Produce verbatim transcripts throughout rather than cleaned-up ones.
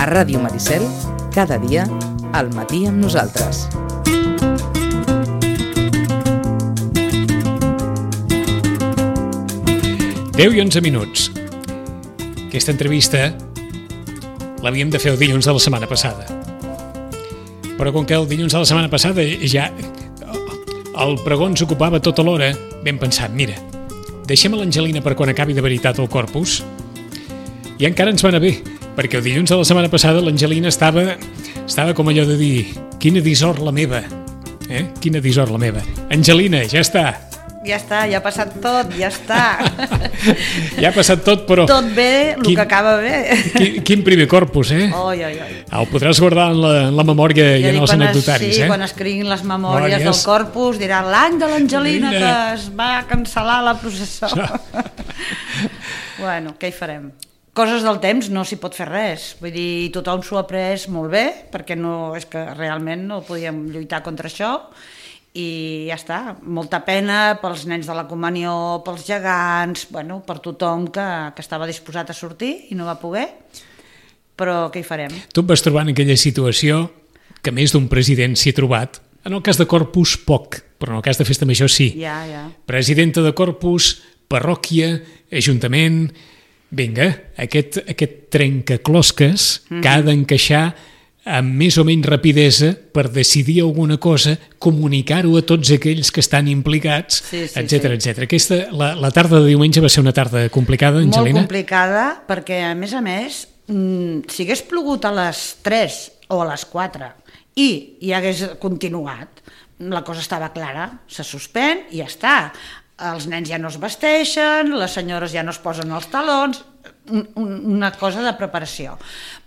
A Ràdio Maricel, cada dia, al matí amb nosaltres. deu i onze minuts. Aquesta entrevista l'havíem de fer el dilluns de la setmana passada. Però com que el dilluns de la setmana passada ja el pregó ens ocupava tota l'hora, vam pensar, mira, deixem a l'Angelina per quan acabi de veritat el Corpus. I encara ens va anar bé, perquè el dilluns de la setmana passada l'Angelina estava, estava com allò de dir, quina dissort la meva, eh? Quina dissort la meva. Angelina, ja està. Ja està, ja ha passat tot, ja està. Ja ha passat tot, però... Tot bé, el quin, que acaba bé. Quin, quin primer Corpus, eh? Oi, oi, oi. El podràs guardar en la, en la memòria i en els anecdotaris, sí, eh? Sí, quan escriguin les memòries Memòries. del Corpus, diran l'any de l'Angelina que Mira. es va cancel·lar la processó. Bueno, què hi farem? Coses del temps no s'hi pot fer res. Vull dir, tothom s'ho ha pres molt bé, perquè no, és que realment no podíem lluitar contra això, i ja està, molta pena pels nens de la comunió, pels gegants, bueno, per tothom que, que estava disposat a sortir i no va poder, però què hi farem? Tu et vas trobar en aquella situació que més d'un president s'hi ha trobat. En el cas de Corpus, poc, però en el cas de Festa Major sí. Ja, ja. Presidenta de Corpus, parròquia, ajuntament... Vinga, aquest, aquest trencaclosques mm-hmm. que ha d'encaixar amb més o menys rapidesa per decidir alguna cosa, comunicar-ho a tots aquells que estan implicats, sí, sí, etcètera, sí. etcètera. Aquesta, la, la tarda de diumenge va ser una tarda complicada, Angelina? Molt complicada, perquè a més a més, si hagués plogut a les tres o a les quatre i hi hagués continuat, la cosa estava clara, se suspèn i ja està. Els nens ja no es vesteixen, les senyores ja no es posen els talons, un, un, una cosa de preparació.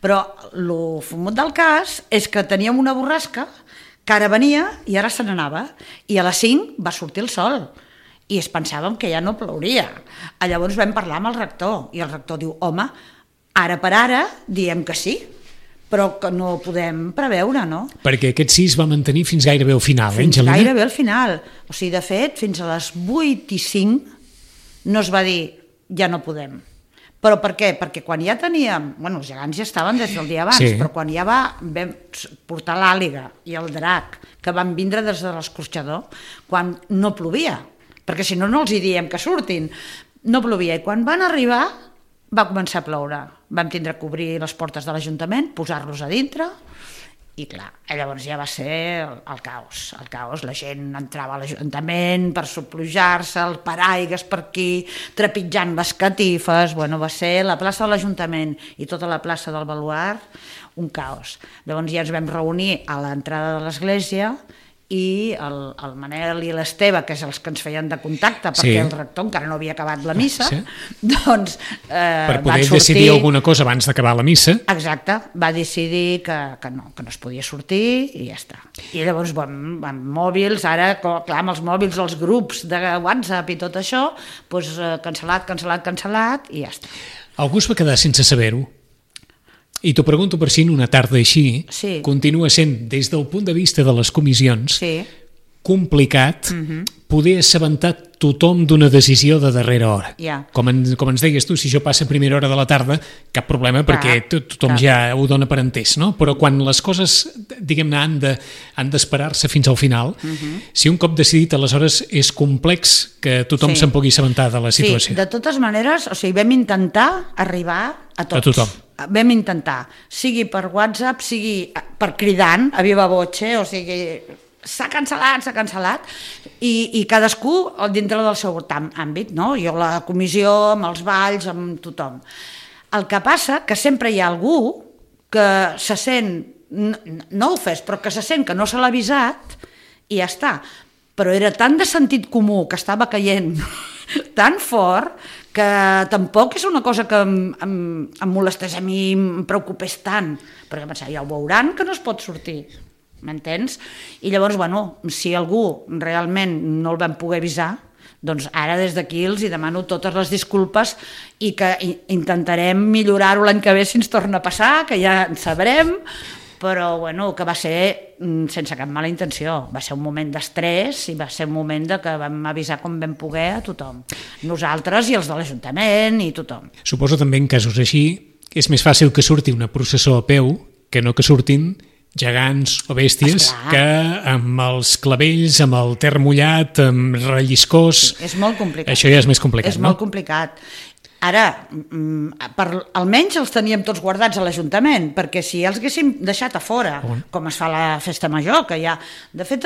Però el fumut del cas és que teníem una borrasca que ara venia i ara se n'anava, i a les cinc va sortir el sol i es pensàvem que ja no plouria. Llavors vam parlar amb el rector i el rector diu, home, ara per ara diem que sí, però que no podem preveure, no? Perquè aquest sí es va mantenir fins gairebé al final, eh, Fins Angelina? gairebé al final. O sigui, de fet, fins a les vuit i cinc no es va dir ja no podem. Però per què? Perquè quan ja teníem... Bueno, els gegants ja estaven des del dia abans, sí. Però quan ja va vam portar l'àliga i el drac, que van vindre des de l'escorxador, quan no plovia, perquè si no, no els hi diem que surtin. No plovia, i quan van arribar va començar a ploure. Vam tindre que obrir les portes de l'Ajuntament, posar-los a dintre, i clar, llavors ja va ser el, el caos, el caos. La gent entrava a l'Ajuntament per soplujar-se, el paraigues per aquí, trepitjant les catifes, bueno, va ser la plaça de l'Ajuntament i tota la plaça del Baluard, un caos. Llavors ja ens vam reunir a l'entrada de l'església, i el, el Manel i l'Esteve, que és els que ens feien de contacte, perquè sí. El rector encara no havia acabat la missa, sí. doncs eh, per poder van sortir... decidir alguna cosa abans d'acabar la missa. Exacte, va decidir que, que, no, que no es podia sortir i ja està. I llavors, bueno, amb mòbils, ara, clar, amb els mòbils, els grups de WhatsApp i tot això, doncs eh, cancel·lat, cancel·lat, cancel·lat i ja està. Algú es va quedar sense saber-ho. I t'ho pregunto per si en una tarda així sí. Continua sent, des del punt de vista de les comissions, sí. complicat uh-huh. poder assabentar tothom d'una decisió de darrera hora. Yeah. Com, en, com ens deies tu, si això passa a primera hora de la tarda, cap problema, clar, perquè tot, tothom clar. Ja ho dona per entès, no? Però quan les coses, diguem-ne, han de, han d'esperar-se fins al final, uh-huh. si un cop decidit, aleshores és complex que tothom sí. se'n pugui assabentar de la situació. Sí, de totes maneres, o sigui, vam intentar arribar a tots. A tothom. Vam intentar, sigui per WhatsApp, sigui per cridant, a viva voce, o sigui, s'ha cancel·lat, s'ha cancel·lat, i, i cadascú dintre del seu àmbit, no? Jo la comissió, amb els balls, amb tothom. El que passa que sempre hi ha algú que se sent, no, no ho fes, però que se sent que no se l'ha avisat, i ja està. Però era tan de sentit comú que estava caient tan fort que tampoc és una cosa que em, em, em molestés a mi, em preocupés tant, perquè pensava, ja ho veuran que no es pot sortir, m'entens? I llavors, bueno, si algú realment no el vam poder avisar, doncs ara des d'aquí els hi demano totes les disculpes i que intentarem millorar-ho l'any que ve si ens torna a passar, que ja en sabrem, però bueno, que va ser sense cap mala intenció, va ser un moment d'estrès i va ser un moment de que vam avisar com vam poder a tothom, nosaltres i els de l'Ajuntament i tothom. Suposo també en casos així és més fàcil que surti una processó a peu que no que surtin gegants o bèsties Esclar. que amb els clavells, amb el ter mullat, amb relliscós... És molt complicat. Això ja és més complicat, és no? molt complicat. Ara, per, almenys els teníem tots guardats a l'Ajuntament, perquè si els haguéssim deixat a fora, On? com es fa a la festa major, que ja... De fet,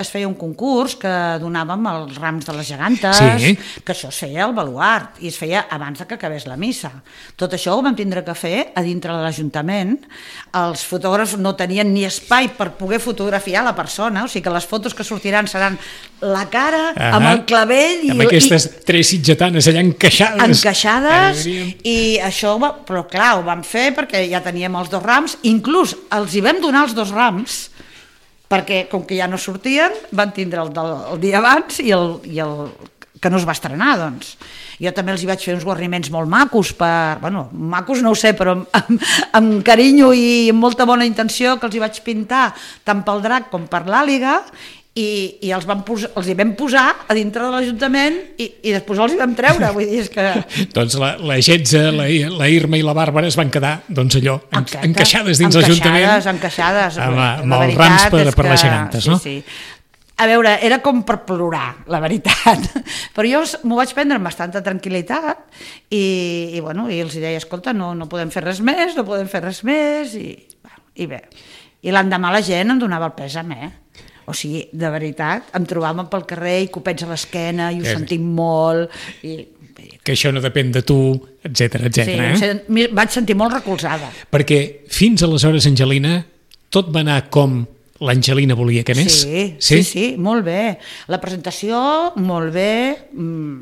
es feia un concurs que donàvem els rams de les gegantes, Sí. que això es feia al baluart, i es feia abans que acabés la missa. Tot això ho vam tindre que fer a dintre de l'Ajuntament. Els fotògrafs no tenien ni espai per poder fotografiar la persona, o sigui que les fotos que sortiran seran la cara, Ah, amb el clavell... amb i, aquestes i, tres sitgetanes allà encaixades. encaixades, i això, va, però clar, ho vam fer perquè ja teníem els dos rams, inclús els hi vam donar els dos rams, perquè com que ja no sortien, van tindre el, del, el dia abans i el, i el que no es va estrenar, doncs. Jo també els hi vaig fer uns guarniments molt macos, per, bueno, macos no ho sé, però amb, amb, amb carinyo i amb molta bona intenció, que els hi vaig pintar tant pel drac com per l'àliga, i, i els, vam posar, els hi vam posar a dintre de l'Ajuntament i, i després els hi vam treure, vull dir, és que... Doncs la, la Getza, la, la Irma i la Bàrbara es van quedar, doncs allò, en, Exacte. encaixades dins l'Ajuntament. Encaixades, encaixades. Amb, La amb els veritat rams per, és per les que- gegantes, no? Sí, sí. A veure, era com per plorar, la veritat. Però jo m'ho vaig prendre amb bastanta tranquil·litat i, i, bueno, i els deia, escolta, no, no podem fer res més, no podem fer res més, i, i bé. I l'endemà la gent em donava el pèsam, eh? O sigui, de veritat, em trobàvem pel carrer i copets a l'esquena i ho Eh. sentim molt i... Que això no depèn de tu, etcètera, Sí, etcètera. em Eh? sen- m'hi vaig sentir molt recolzada. Perquè fins aleshores, Angelina, tot va anar com l'Angelina volia que anés? Sí, sí, sí, molt bé. La presentació, molt bé. Mm.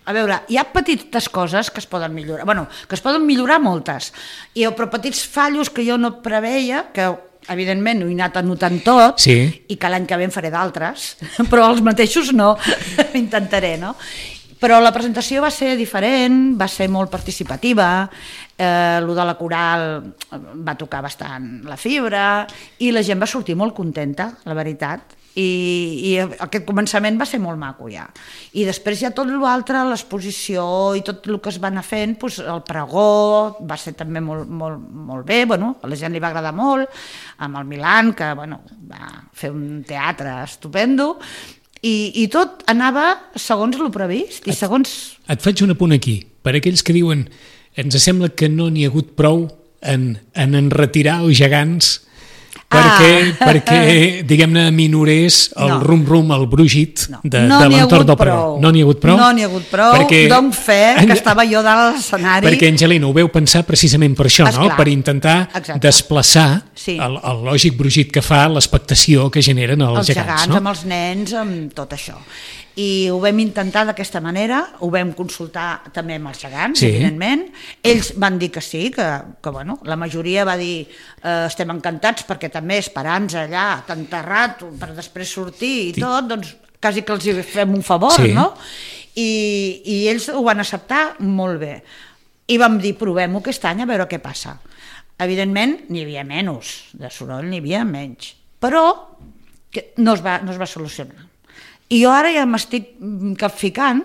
A veure, hi ha petites coses que es poden millorar. Bueno, que es poden millorar moltes. I, però petits fallos que jo no preveia, que evidentment ho he anat anotant tot, Sí. i que l'any que ve en faré d'altres, però els mateixos no, intentaré, no? Però la presentació va ser diferent, va ser molt participativa, eh, lo de la coral va tocar bastant la fibra i la gent va sortir molt contenta, la veritat, i, i aquest començament va ser molt maco ja. I després ja tot l'altre, l'exposició i tot el que es va anar fent, doncs el pregó va ser també molt, molt, molt bé, bueno, a la gent li va agradar molt, amb el Milan, que bueno, va fer un teatre estupendo, i, i tot anava segons el previst i segons... Et faig un apunt aquí, per aquells que diuen ens sembla que no n'hi ha hagut prou en, en enretirar els gegants perquè, Ah. perquè diguem-ne, minorés el No. rum-rum, el brugit No, de, no de n'hi ha l'entorn hagut del pregó. prou. No n'hi ha hagut prou? No n'hi ha hagut prou, Perquè- donc fe que estava jo dalt a l'escenari. Perquè, Angelina, ho veu pensar precisament per això, no? Esclar. Per intentar Exacte. desplaçar Sí. el, el lògic brugit que fa l'expectació que generen els, els gegants, gegants, no? amb els nens, amb tot això. I ho vam intentar d'aquesta manera, ho vam consultar també amb els gegants, Sí. evidentment. Ells van dir que sí, que, que bueno, la majoria va dir eh, estem encantats perquè també esperar-nos allà tan terrat per després sortir i Sí. tot, doncs quasi que els hi fem un favor, Sí. no? I, I ells ho van acceptar molt bé. I vam dir, provem-ho aquest any a veure què passa. Evidentment, n'hi havia menys, de soroll n'hi havia menys, però que no es va, no es va solucionar. I jo ara ja m'estic capficant,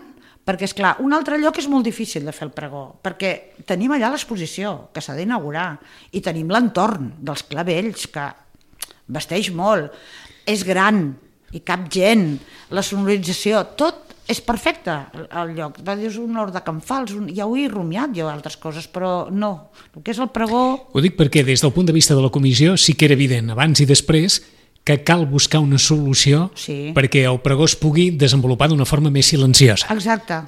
perquè, és clar, un altre lloc és molt difícil de fer el pregó, perquè tenim allà l'exposició, que s'ha d'inaugurar, i tenim l'entorn dels clavells, que vesteix molt, és gran, i cap gent, la sonorització, tot és perfecte al lloc. Va dir, és un hort de Can Fals, un... ja ho he rumiat jo altres coses, però no. El que és el pregó... Ho dic perquè des del punt de vista de la comissió sí que era evident, abans i després, que cal buscar una solució Sí. perquè el pregó es pugui desenvolupar d'una forma més silenciosa. Exacte,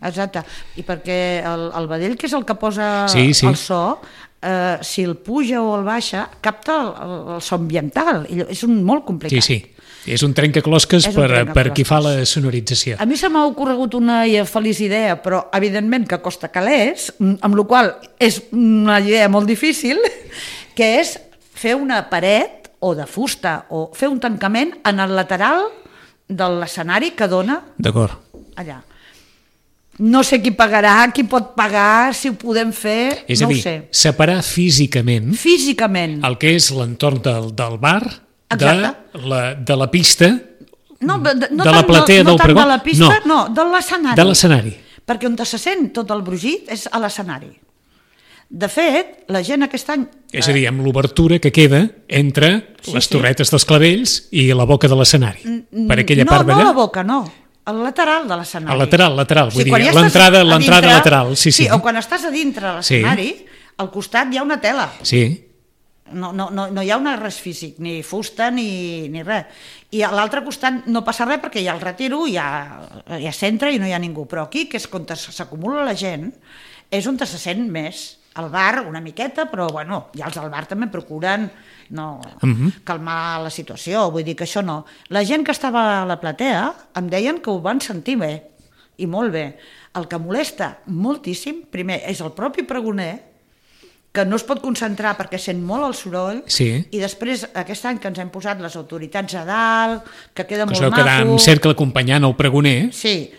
exacte. I perquè el, el vedell, que és el que posa Sí, sí. el so, eh, si el puja o el baixa, capta el, el, el so ambiental. I és un molt complicat. Sí, sí. És un trencaclosques És un per, trencaclosques. per qui fa la sonorització. A mi se m'ha ocorregut una feliç idea, però evidentment que costa calés, amb la qual és una idea molt difícil, que és fer una paret o de fusta, o fer un tancament en el lateral de l'escenari que dona D'acord. allà. No sé qui pagarà, qui pot pagar, si ho podem fer, És no a dir, ho sé. separar físicament Físicament. el que és l'entorn del, del bar de Exacte. la, de la pista, No, de, de, no de la tant, platea no, no del tant pregó. de la pista, No. no, de l'escenari. de l'escenari. Perquè on se sent tot el brugit és a l'escenari. De fet, la gent aquest any... És a dir, amb l'obertura que queda entre Sí, les sí. torretes dels clavells i la boca de l'escenari. Per aquella no, part no d'allà? la boca, no. El lateral de l'escenari. El lateral, lateral, vull dir, quan ja estàs l'entrada- a l'entrada dintre- lateral, sí, sí. Sí, o quan estàs a dintre de l'escenari, al costat hi ha una tela. Sí, No, no, no, no hi ha una res físic, ni fusta ni, ni res. I a l'altre costat no passa res perquè hi ha el retiro, hi ha, hi ha centre i no hi ha ningú. Però aquí, que és on s'acumula la gent, és on se sent més. Al bar una miqueta, però bueno, ja els del bar també procuren no, Mhm. calmar la situació, vull dir que això no. La gent que estava a la platea em deien que ho van sentir bé, i molt bé. El que molesta moltíssim, primer, és el propi pregoner, que no es pot concentrar perquè sent molt el soroll, Sí. i després aquest any que ens hem posat les autoritats a dalt, que queda que es molt veu quedar maco... en cercle acompanyant el pregoner. Sí,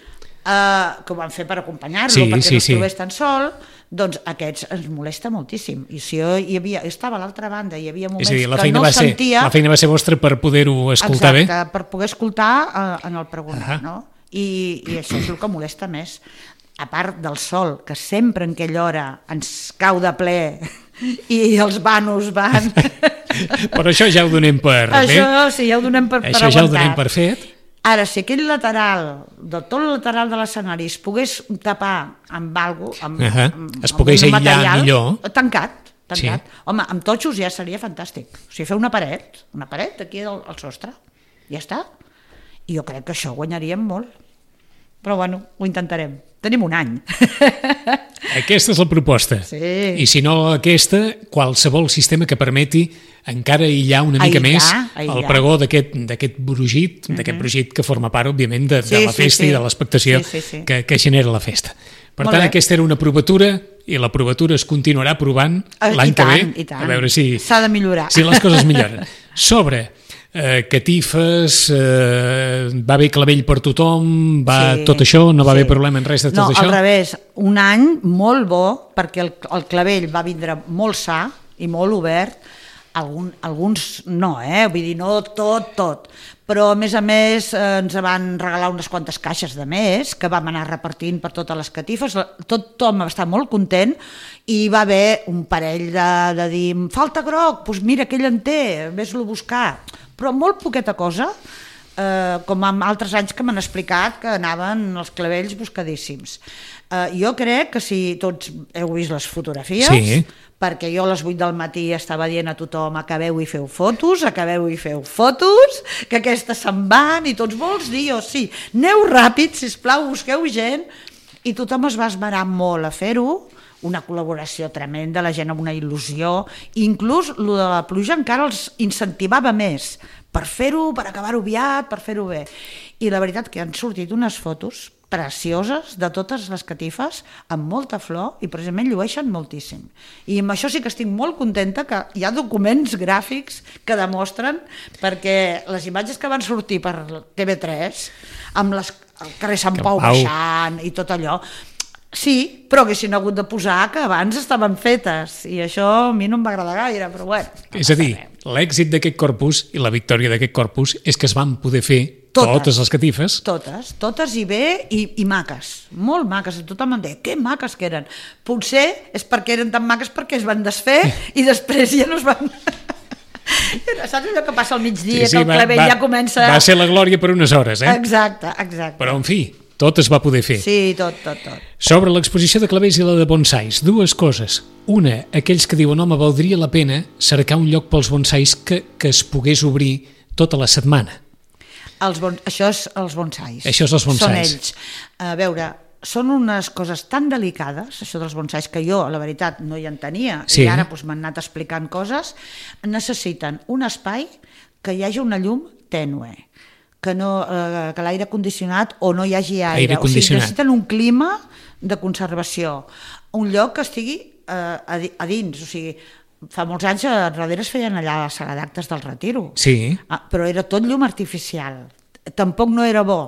uh, que ho van fer per acompanyar-lo, Sí, perquè sí, no es sí. trobés tan sol, doncs aquests ens molesta moltíssim. I si jo hi havia, estava a l'altra banda, hi havia moments És a dir, la que feina, no va ser, sentia... la feina va ser vostra per poder-ho escoltar Exacte, per poder escoltar uh, en el pregoner, Ahà. no? I, I això és el que molesta més. A part del sol, que sempre en aquella hora ens cau de ple i els vanos van... bé. Però això ja ho donem per Això bé. sí, ja ho donem per, per Això ja ho aguantat. donem per fet. Ara, si aquell lateral, de tot el lateral de l'escenari, es pogués tapar amb algo, amb, Ahà. amb, Es amb pogués un aïllar material, millor. Tancat, tancat. Sí. Home, amb totxos ja seria fantàstic. O sigui, fer una paret, una paret aquí al, al sostre, ja està. I jo crec que això guanyaríem molt. Però bueno, ho intentarem. Tenim un any. Aquesta és la proposta. Sí. I si no aquesta, qualsevol sistema que permeti encara aïllar una mica Aïllar, més aïllar. el pregó d'aquest d'aquest brugit, d'aquest brugit que forma part, òbviament, de, Sí, de la sí, festa sí. i de l'expectació Sí, sí, sí. que, que genera la festa. Per Molt tant, bé. aquesta era una provatura i la provatura es continuarà provant Eh, l'any i que ve, tant, i tant. a veure si, S'ha de millorar. si les coses milloren. Sobre eh, catifes, eh, va bé clavell per tothom, va Sí, tot això, no va sí. haver problema en res de tot no, això? No, al revés, un any molt bo, perquè el, el clavell va vindre molt sa i molt obert, Algun, alguns no, eh? Vull dir, no tot, tot. Però, a més a més, eh, ens van regalar unes quantes caixes de més que vam anar repartint per totes les catifes. Tot, tothom va estar molt content i va haver un parell de, de dir falta groc, doncs mira, aquell en té, vés-lo a buscar. Però molt poqueta cosa, eh, com en altres anys que m'han explicat que anaven els clavells buscadíssims. Eh, jo crec que si tots heu vist les fotografies, Sí. perquè jo a les vuit del matí estava dient a tothom acabeu i feu fotos, acabeu i feu fotos, que aquestes se'n van i tots vols dir, o sí, aneu ràpid, sisplau, busqueu gent, i tothom es va esmerar molt a fer-ho, una col·laboració tremenda, la gent amb una il·lusió, inclús lo de la pluja encara els incentivava més per fer-ho, per acabar-ho aviat, per fer-ho bé. I la veritat que han sortit unes fotos precioses de totes les catifes amb molta flor i precisament llueixen moltíssim. I amb això sí que estic molt contenta que hi ha documents gràfics que demostren, perquè les imatges que van sortir per T V tres amb les, el carrer Sant Sant Pau Pau. baixant i tot allò, sí, però haguessin hagut de posar que abans estaven fetes i això a mi no em va agradar gaire, però bueno. No És a dir, l'èxit d'aquest corpus i la victòria d'aquest corpus és que es van poder fer Totes. totes les catifes. Totes, totes i bé i, i maques, molt maques, tothom em deia, que maques que eren. Potser és perquè eren tan maques perquè es van desfer i després ja no es van... Saps allò que passa al migdia, que el clavell ja comença... Va ser la glòria per unes hores, eh? Exacte, exacte. Però, en fi, tot es va poder fer. Sí, tot, tot, tot. Sobre l'exposició de clavells i la de bonsais, dues coses. Una, aquells que diuen, home, valdria la pena cercar un lloc pels bonsais que, que es pogués obrir tota la setmana. Els bon... Això és els bonsais. Això és els bonsais. Són ells. A veure, són unes coses tan delicades, això dels bonsais, que jo, la veritat, no hi entenia, Sí. i ara doncs, m'han anat explicant coses, necessiten un espai que hi hagi una llum tènue, que, no, eh, que l'aire condicionat o no hi hagi aire. Aire o sigui, condicionat. necessiten un clima de conservació, un lloc que estigui eh, a, di- a dins, o sigui, fa molts anys a darrere es feien allà a la sala d'actes del Retiro. Sí. Ah, però era tot llum artificial. Tampoc no era bo.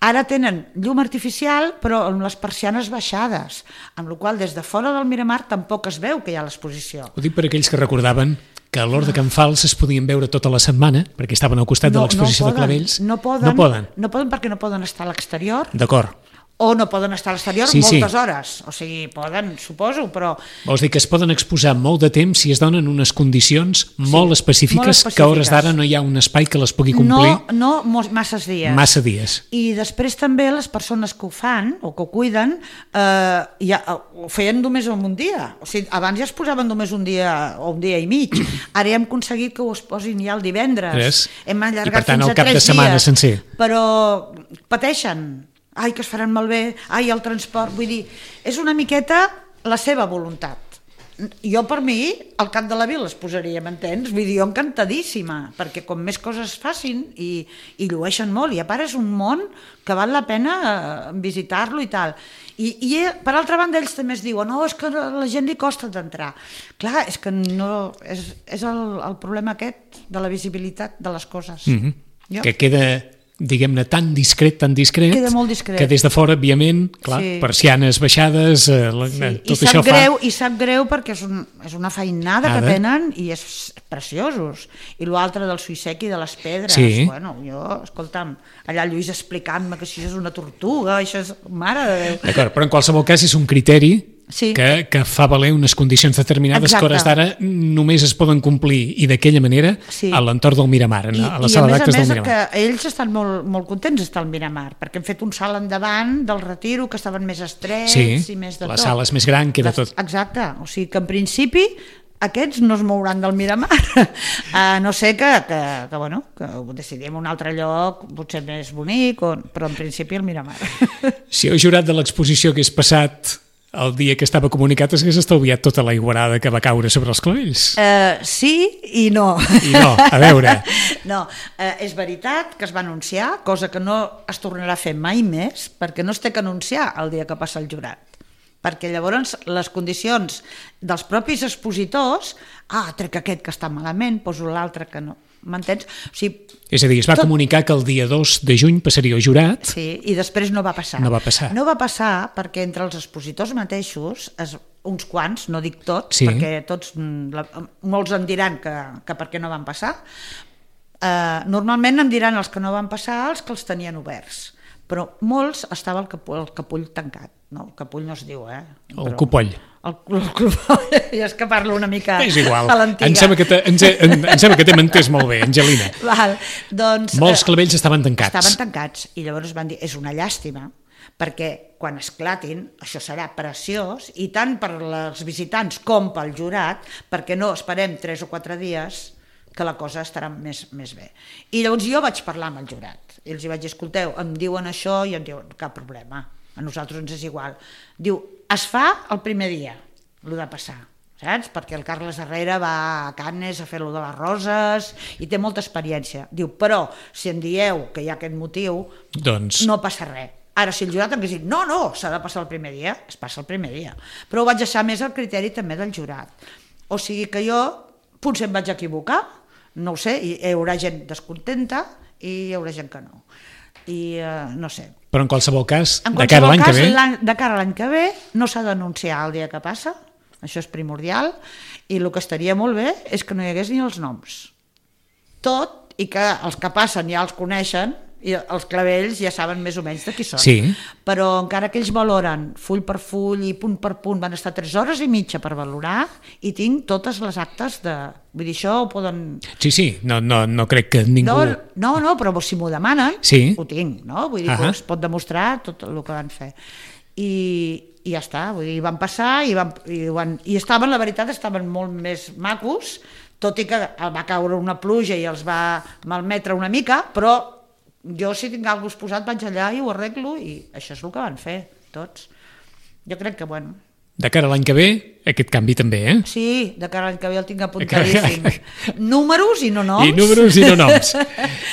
Ara tenen llum artificial, però amb les persianes baixades, amb la qual cosa des de fora del Miramar tampoc es veu que hi ha l'exposició. Ho dic per aquells que recordaven que a l'Hort de Can Fals es podien veure tota la setmana, perquè estaven al costat de l'exposició de clavells. No poden, No poden. no poden perquè no poden estar a l'exterior. D'acord. o no poden estar a l'exterior sí, moltes sí. hores, o sigui, poden, suposo, però... Vols dir que es poden exposar molt de temps si es donen unes condicions Sí, molt, específiques, molt específiques, que a hores d'ara no hi ha un espai que les pugui complir No, no masses dies. massa dies. I després també les persones que ho fan, o que ho cuiden, eh, ja, ho feien només un dia. O sigui, abans ja es posaven només un dia o un dia i mig. Ara ja hem aconseguit que ho es posin ja el divendres. Tres. Hem allargat I per tant, fins el a cap de tres setmana dies. sencer. Però pateixen. Ai, que es faran malbé. Ai, el transport. Vull dir, és una miqueta la seva voluntat. Jo, per mi, al cap de la vila es posaria, m'entens? Vull dir, jo encantadíssima, perquè com més coses facin i, i llueixen molt, i a part és un món que val la pena visitar-lo i tal. I, i per altra banda ells també es diuen no, és que a la gent li costa d'entrar. Clar, és que no, és, és el, el problema aquest de la visibilitat de les coses. Mm-hmm. Jo? Que queda, diguem-ne, tan discret, tan discret, Queda molt discret. que des de fora, òbviament, clar, Sí. persianes baixades, eh, la- Sí, tot i sap això greu, fa... I sap greu perquè és, un, és una feinada Nada. que tenen i és preciosos. I l'altre del suïsec i de les pedres. Sí. Bueno, jo, escolta'm, allà Lluís explicant-me que això és una tortuga, això és... Mare de Déu. D'acord, però en qualsevol cas és un criteri Sí. que, que fa valer unes condicions determinades Exacte. que a hores d'ara només es poden complir i d'aquella manera Sí. a l'entorn del Miramar, I, a la i sala a més a d'actes del més Miramar. que ells estan molt, molt contents d'estar al Miramar, perquè hem fet un salt endavant del retiro, que estaven més estrets Sí, i més de la tot. sala és més gran, queda Les- tot. Exacte, o sigui que en principi aquests no es mouran del Miramar, a no ser que, que, que, bueno, que ho decidim un altre lloc, potser més bonic, o, però en principi el Miramar. Si heu jurat de l'exposició que és passat el dia que estava comunicat, s'hagués estalviat tota la iguarada que va caure sobre els clavells. Uh, sí i no. I no, a veure. No, eh, és veritat que es va anunciar, cosa que no es tornarà a fer mai més, perquè no es té que anunciar el dia que passa el jurat. Perquè llavors les condicions dels propis expositors, ah, trec aquest que està malament, poso l'altre que no. M'entens? O sigui, És a dir, es va tot- comunicar que el dia dos de juny passaria el jurat. sí, i després no va passar. No va passar. No va passar perquè entre els expositors mateixos, es, uns quants, no dic tots, Sí. perquè tots, mm, la, molts em diran que, que per què no van passar, eh, normalment em diran els que no van passar els que els tenien oberts, però molts estava el capull, el capull tancat, no? El capull no es diu, eh? El Però- copoll. El, el copoll, ja és que parlo una mica És igual. a l'antiga. Em sembla que te- ens he- em em sembla que t'hem entès molt bé, Angelina. Val, doncs, Molts eh, clavells estaven tancats. Estaven tancats i llavors van dir, és una llàstima, perquè quan esclatin això serà preciós i tant per als visitants com pel jurat, perquè no esperem tres o quatre dies que la cosa estarà més, més bé. I llavors jo vaig parlar amb el jurat i els hi vaig dir, escolteu, em diuen això i em diuen, cap problema, a nosaltres ens és igual. Diu, es fa el primer dia, el de passar, saps? Perquè el Carles Herrera va a Canes a fer-lo de les roses i té molta experiència. Diu, però si em dieu que hi ha aquest motiu, Doncs, no passa res. Ara, si el jurat em hagués dit, no, no, s'ha de passar el primer dia, es passa el primer dia. Però ho vaig deixar més al criteri també del jurat. O sigui que jo potser em vaig equivocar, no ho sé, hi haurà gent descontenta i hi haurà gent que no. I eh, no sé. però en qualsevol cas, En de cara a qualsevol l'any que cas, ve... l'any- de cara a l'any que ve no s'ha d'anunciar el dia que passa, això és primordial, i el que estaria molt bé és que no hi hagués ni els noms. Tot, i que els que passen ja els coneixen, i els clavells ja saben més o menys de qui són. Sí. Però encara que ells valoren full per full i punt per punt, van estar tres hores i mitja per valorar i tinc totes les actes de... Vull dir, això ho poden... Sí, sí, no, no, no crec que ningú... No, no, no, però si m'ho demanen, Sí. ho tinc, no? Vull dir Ahà. que es pot demostrar tot el que van fer. I, i ja està, vull dir, van passar i, van, i, van, i estaven, la veritat, estaven molt més macos, tot i que va caure una pluja i els va malmetre una mica, però jo si tinc alguna cosa posat vaig allà i ho arreglo i això és el que van fer, tots. Jo crec que, bueno... De cara a l'any que ve, aquest canvi també, eh? Sí, de cara a l'any que ve el tinc apuntadíssim. Números i no noms. I números i no noms.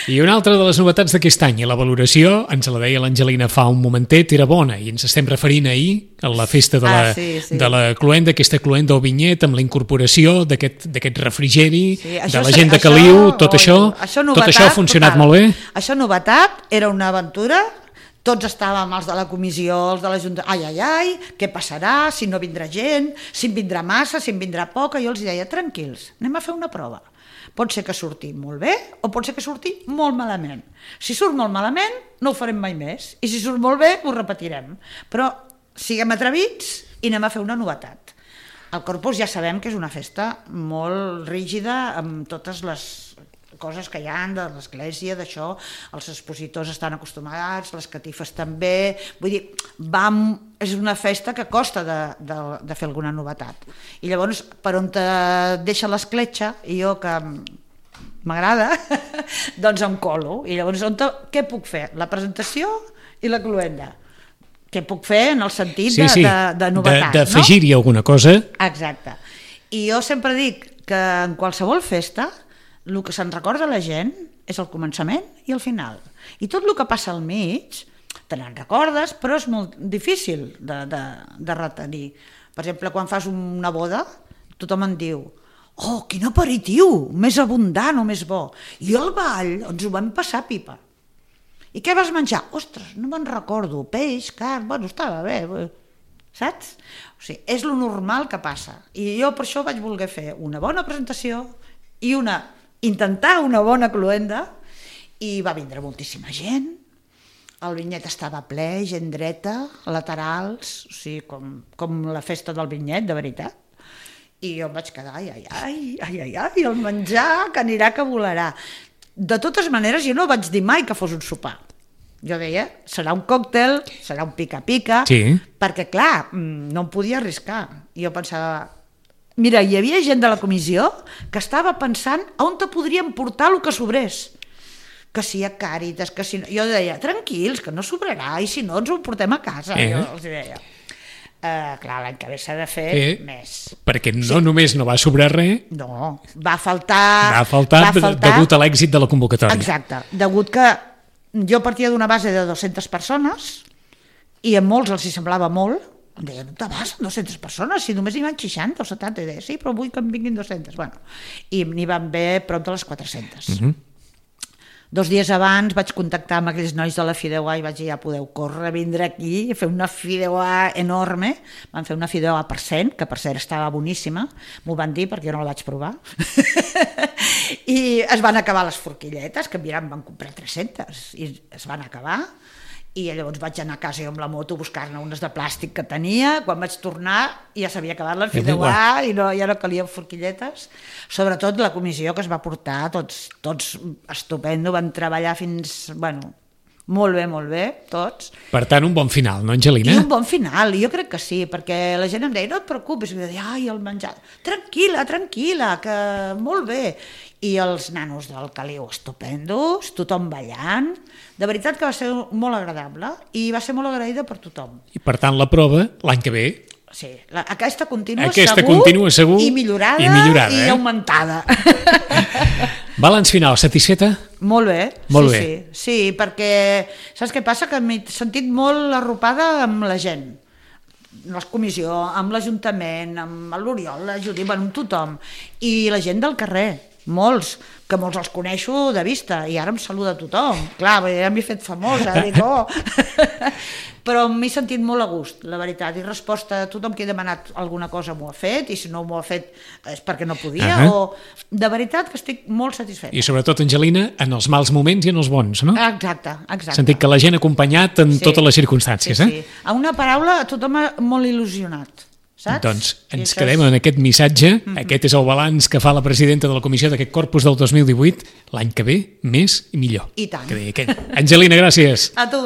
I una altra de les novetats d'aquest any, i la valoració, ens la deia l'Angelina fa un momentet, era bona, i ens estem referint ahir a la festa de la, Ah, sí, sí. de la cluenda, aquesta cluenda o vinyet, amb la incorporació d'aquest d'aquest refrigeri, Sí, de la gent de Caliu, tot oi, això, això tot això ha funcionat total. molt bé. Això novetat, era una aventura tots estàvem, els de la comissió, els de la Junta, ai, ai, ai, què passarà, si no vindrà gent, si en vindrà massa, si en vindrà poca, jo els deia, tranquils, anem a fer una prova. Pot ser que surti molt bé o pot ser que surti molt malament. Si surt molt malament, no ho farem mai més, i si surt molt bé, ho repetirem. Però siguem atrevits i anem a fer una novetat. El Corpus ja sabem que és una festa molt rígida, amb totes les coses que hi ha de l'església, d'això, els expositors estan acostumats, les catifes també, vull dir, vam, és una festa que costa de, de, de fer alguna novetat. I llavors, per on te deixa l'escletxa, i jo que m'agrada, doncs em colo. I llavors, on te, què puc fer? La presentació i la cluenda. Què puc fer en el sentit sí, sí. de, de, de novetat, de, d'afegir-hi no? alguna cosa. Exacte. I jo sempre dic que en qualsevol festa el que se'n recorda la gent és el començament i el final. I tot el que passa al mig, te n'en recordes, però és molt difícil de, de, de retenir. Per exemple, quan fas una boda, tothom en diu «Oh, quin aperitiu, més abundant o més bo!» I al ball ens ho vam passar pipa. I què vas menjar? Ostres, no me'n recordo, peix, carn, bueno, estava bé, saps? O sigui, és lo normal que passa. I jo per això vaig voler fer una bona presentació i una, intentar una bona cluenda, i va vindre moltíssima gent, el vinyet estava ple, gent dreta, laterals, o sigui, com, com la festa del vinyet, de veritat. I jo em vaig quedar, ai, ai, ai, ai, ai, ai, el menjar que anirà que volarà. De totes maneres, jo no vaig dir mai que fos un sopar. Jo deia, serà un còctel, serà un pica-pica, sí. Perquè, clar, no em podia arriscar. I jo pensava, mira, hi havia gent de la comissió que estava pensant on te podríem portar el que sobrés. Que si hi ha Càritas, que si no... Jo deia, tranquils, que no sobrarà, i si no ens ho portem a casa. Eh? Jo els deia. Uh, clar, l'any que ve s'ha de fer eh, més. Perquè no sí. Només no va sobrar res... No, va faltar... Va faltar, va faltar degut a l'èxit de la convocatòria. Exacte, degut que jo partia d'una base de dues-centes persones i a molts els hi semblava molt. Em deien, on vas amb dues-centes persones? Si només hi van seixanta o setanta. I deia, sí, però vull que en vinguin dues-centes. Bueno, i n'hi van haver prop de les quatre-centes. Uh-huh. Dos dies abans vaig contactar amb aquells nois de la Fideuà i vaig dir, ja podeu córrer, vindre aquí i fer una Fideuà enorme. Van fer una Fideuà per cent, que per cert estava boníssima, m'ho van dir perquè jo no la vaig provar. I es van acabar les forquilletes, que mirant van comprar tres-centes, i es van acabar. I llavors vaig anar a casa jo amb la moto a buscar-ne unes de plàstic que tenia. Quan vaig tornar ja s'havia acabat la Fideuà i no, ja no calien forquilletes. Sobretot la comissió que es va portar, tots, tots estupendo, van treballar fins, bueno, molt bé, molt bé, tots. Per tant, un bon final, no, Angelina? I un bon final, jo crec que sí, perquè la gent em deia, no et preocupis, i jo deia, ai, el menjar, tranquil·la, tranquil·la, que molt bé. I els nanos del Caliu estupendos, tothom ballant, de veritat que va ser molt agradable i va ser molt agraïda per tothom. I per tant la prova l'any que ve... Sí, la, aquesta continua aquesta segur, continua segur i millorada i, millorada, i eh? augmentada. Balanç final, satisfeta? Molt bé, molt sí, bé. sí, sí, perquè saps què passa? Que m'he sentit molt arropada amb la gent, la comissió, amb l'Ajuntament, amb l'Oriol, la Judit, bueno, amb tothom, i la gent del carrer, molts, que molts els coneixo de vista, i ara em saluda tothom, clar, ja m'he fet famosa, dic, oh. Però m'he sentit molt a gust, la veritat, i resposta a tothom que he demanat alguna cosa m'ho ha fet, i si no m'ho ha fet és perquè no podia, uh-huh. o de veritat que estic molt satisfeta. I sobretot, Angelina, en els mals moments i en els bons, no? Exacte, exacte. Sentit que la gent ha acompanyat en sí. totes les circumstàncies, sí, eh? Sí. A una paraula, tothom molt il·lusionat. Saps? Doncs ens quedem en aquest missatge. Mm-hmm. Aquest és el balanç que fa la presidenta de la comissió d'aquest Corpus del dos mil divuit. L'any que ve, més i millor. I tant. Que deia aquell. Angelina, gràcies. A tu.